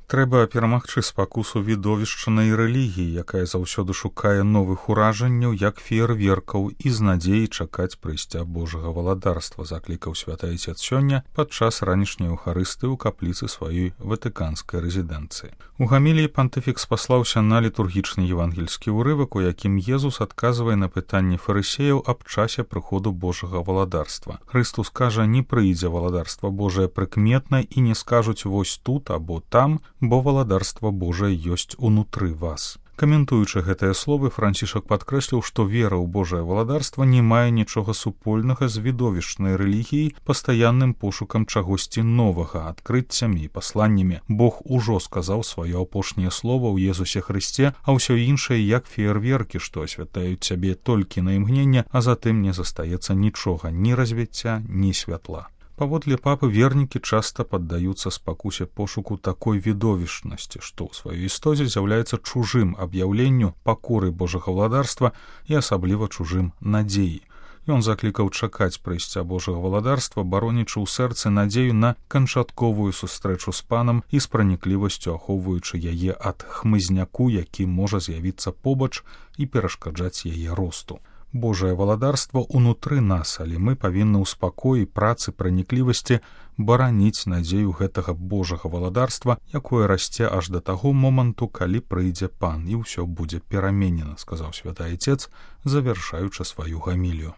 Трэба перамагчы спакусу відовішчанай рэлігіі, якая заўсёды шукае новых уражанняў, як феерверкаў, і з надзеяй чакаць прыйсця Божага валадарства, заклікаў святы Айцец сёння падчас ранішняй эўхарыстыі ў капліцы сваёй ватыканскай рэзідэнцыі. У гаміліі пантыфік спаслаўся на літургічны евангельскі ўрывак, у якім Езус адказвае на пытанні фарысеяў аб часе прыходу Божага валадарства. Хрыстус кажа, не прыйдзе валадарства Божае прыкметна і не скажуць вось тут або там, бо валадарства Божае ёсць унутры вас. Каментуючы гэтыя словы, Францішак падкрэсліў, што вера ў Божае валадарства не мае нічога супольнага з відовішчнай рэлігіяй, пастаянным пошукам чагосьці новага, адкрыццямі і пасланнямі. Бог ужо сказаў сваё апошняе слова ў Езусе Хрысце, а ўсё іншае як феерверкі, што асвятляюць цябе толькі на імгненне, а затым не застаецца нічога, ні развіцця, ні святла. Паводле папы, вернікі часта паддаюцца спакусе пошуку такой відовішчнасці, што ў сваёй істоце з'яўляецца чужым аб'яўленню пакоры Божага валадарства і асабліва чужым надзеі. Ён заклікаў чакаць прыйсця Божага валадарства, баронячы ў сэрцы надзею на канчатковую сустрэчу з панам і з праніклівасцю ахоўваючы яе ад хмызняку, які можа з'явіцца побач і перашкаджаць яе росту. Божае валадарства ўнутры нас, але мы павінны ў спакоі, працы, праніклівасці бараніць надзею гэтага Божага валадарства, якое расце аж да таго моманту, калі прыйдзе пан, і ўсё будзе пераменена, сказаў святы Айцец, завяршаючы сваю гамілію.